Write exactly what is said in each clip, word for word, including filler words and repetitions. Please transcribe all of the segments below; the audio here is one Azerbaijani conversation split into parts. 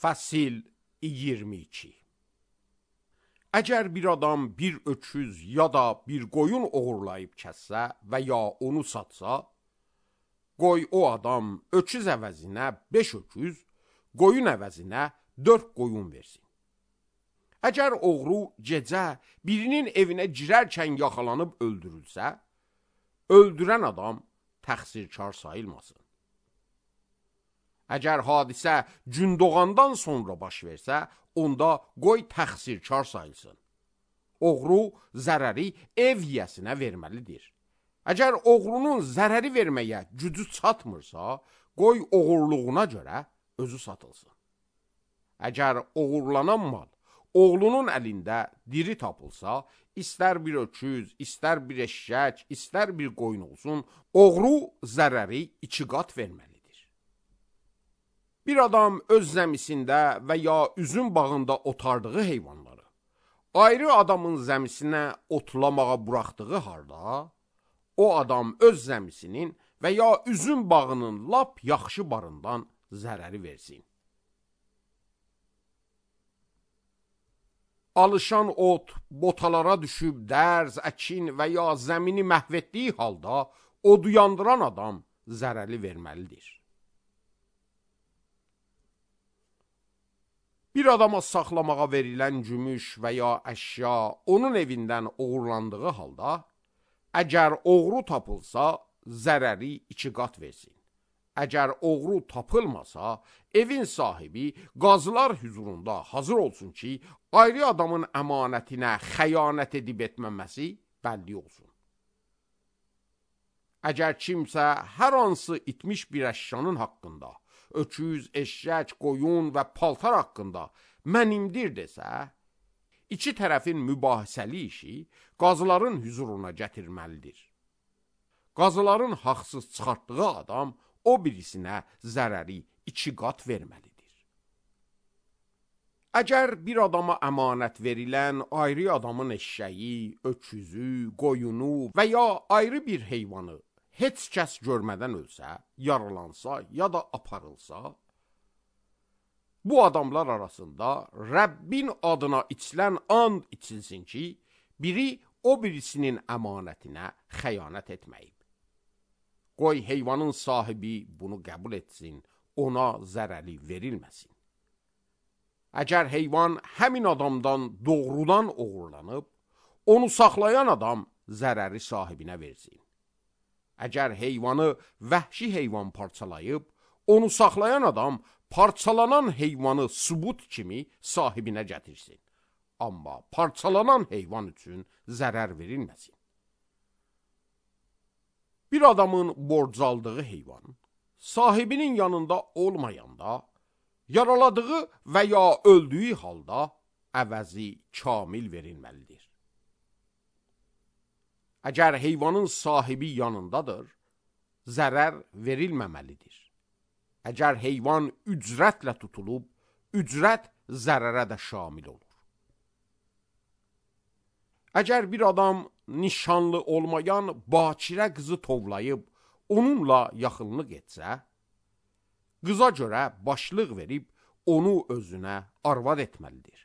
Fəsil iyirmi iki. Əgər bir adam bir öküz ya da bir qoyun oğurlayıb kəssə və ya onu satsa, qoy o adam öküz əvəzinə beş öküz, qoyun əvəzinə dörd qoyun versin. Əgər oğru gecə birinin evinə girərkən yaxalanıb öldürülsə, öldürən adam təqsirkar sayılmasın. Əgər hadisə gün doğandan sonra baş versə, onda qoy təqsirkar sayılsın. Oğru zərəri ev yiyəsinə verməlidir. Əgər oğrunun zərəri verməyə gücü çatmırsa, qoy oğurluğuna görə özü satılsın. Əgər oğurlanan mal oğlunun əlində diri tapılsa, istər bir öküz, istər bir eşşək, istər bir qoyun olsun, oğru zərəri iki qat verməlidir. Bir adam öz zəmisində və ya üzüm bağında otardığı heyvanları ayrı adamın zəmisinə otlamağa buraxdığı halda, o adam öz zəmisinin və ya üzüm bağının lap yaxşı barından zərəri versin. Alışan ot botalara düşüb dərz, əkin və ya zəmini məhv etdiyi halda odu yandıran adam zərəri verməlidir. Bir adama saxlamağa verilən gümüş və ya əşya onun evindən oğurlandığı halda, əgər oğru tapılsa, zərəri iki qat versin. Əgər oğru tapılmasa, evin sahibi qazılar hüzurunda hazır olsun ki, ayrı adamın əmanətinə xəyanət edib etməməsi bəlli olsun. Əgər kimsə hər hansı itmiş bir əşyanın haqqında, öküz, eşşək, qoyun və paltar haqqında mənimdir desə, iki tərəfin mübahisəli işi qazıların hüzuruna gətirməlidir. Qazıların haqsız çıxartdığı adam o birisinə zərəri iki qat verməlidir. Əgər bir adama əmanət verilən ayrı adamın eşşəyi, öküzü, qoyunu və ya ayrı bir heyvanı heç kəs görmədən ölsə, yaralansa ya da aparılsa, bu adamlar arasında Rəbbin adına içilən and içilsin ki, biri o birisinin əmanətinə xəyanət etməyib. Qoy heyvanın sahibi bunu qəbul etsin, ona zərəri verilməsin. Əgər heyvan həmin adamdan doğrudan oğurlanıb, onu saxlayan adam zərəri sahibinə versin. Əgər heyvanı vəhşi heyvan parçalayıb, onu saxlayan adam parçalanan heyvanı sübut kimi sahibinə gətirsin. Amma parçalanan heyvan üçün zərər verilməsin. Bir adamın borc aldığı heyvan, sahibinin yanında olmayanda, yaraladığı və ya öldüyü halda əvəzi kamil verilməlidir. Əgər heyvanın sahibi yanındadır, zərər verilməməlidir. Əgər heyvan ücrətlə tutulub, ücrət zərərə də şamil olur. Əgər bir adam nişanlı olmayan bakirə qızı tovlayıb, onunla yaxınlıq etsə, qıza görə başlıq verib, onu özünə arvad etməlidir.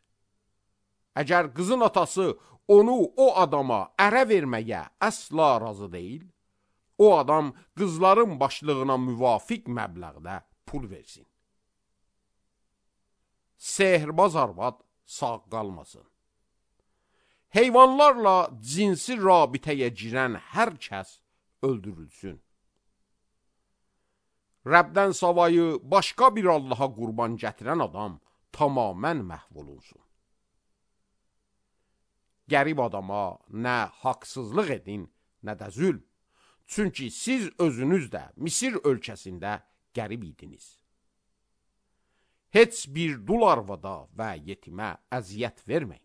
Əgər qızın atası onu o adama ərə verməyə əsla razı deyil, o adam qızların başlığına müvafiq məbləğdə pul versin. Sehirbaz arvad sağ qalmasın. Heyvanlarla cinsi rabitəyə girən hər kəs öldürülsün. Rəbdən savayı başqa bir Allaha qurban gətirən adam tamamən məhv olunsun. Qərib adama nə haqsızlıq edin, nə də zülm. Çünki siz özünüz də Misir ölkəsində qərib idiniz. Heç bir dul arvada və yetimə əziyyət verməyin.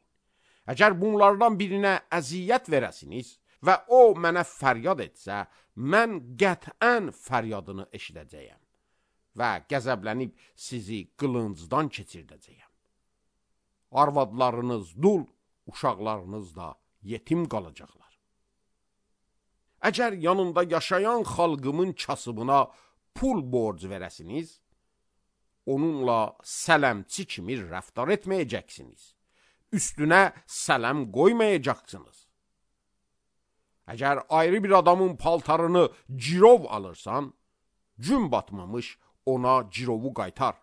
Əgər bunlardan birinə əziyyət verəsiniz və o mənə fəryad etsə, mən qətən fəryadını eşidəcəyəm və qəzəblənib sizi qılıncdan keçirdəcəyəm. Arvadlarınız dul, uşaqlarınız da yetim qalacaqlar. Əgər yanında yaşayan xalqımın kasıbına pul borc verəsiniz, onunla sələmçi kimi rəftar etməyəcəksiniz. Üstünə sələm qoymayacaqsınız. Əgər ayrı bir adamın paltarını cirov alırsan, gün batmamış ona cirovu qaytar.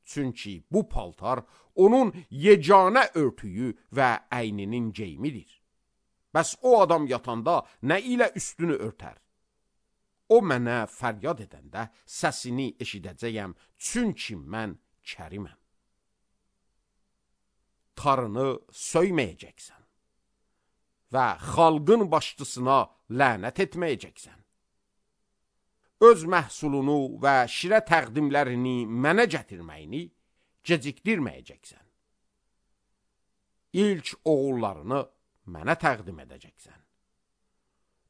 Çünki bu paltar onun yeganə örtüyü və əyninin geyimidir. Bəs o adam yatanda nə ilə üstünü örtər? O mənə fəryad edəndə səsini eşidəcəyəm, çünki mən kəriməm. Tarını söyməyəcəksən və xalqın başçısına lənət etməyəcəksən. Öz məhsulunu və şirə təqdimlərini mənə gətirməyini gecikdirməyəcəksən. İlk oğullarını mənə təqdim edəcəksən.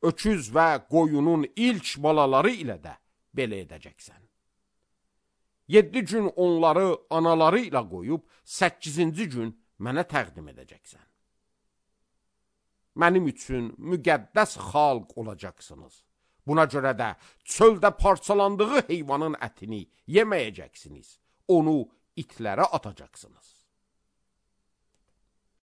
Öküz və qoyunun ilk balaları ilə də belə edəcəksən. Yeddi gün onları anaları ilə qoyub, səkkizinci gün mənə təqdim edəcəksən. Mənim üçün müqəddəs xalq olacaqsınız. Buna görə də çöldə parçalandığı heyvanın ətini yeməyəcəksiniz. Onu itlərə atacaqsınız.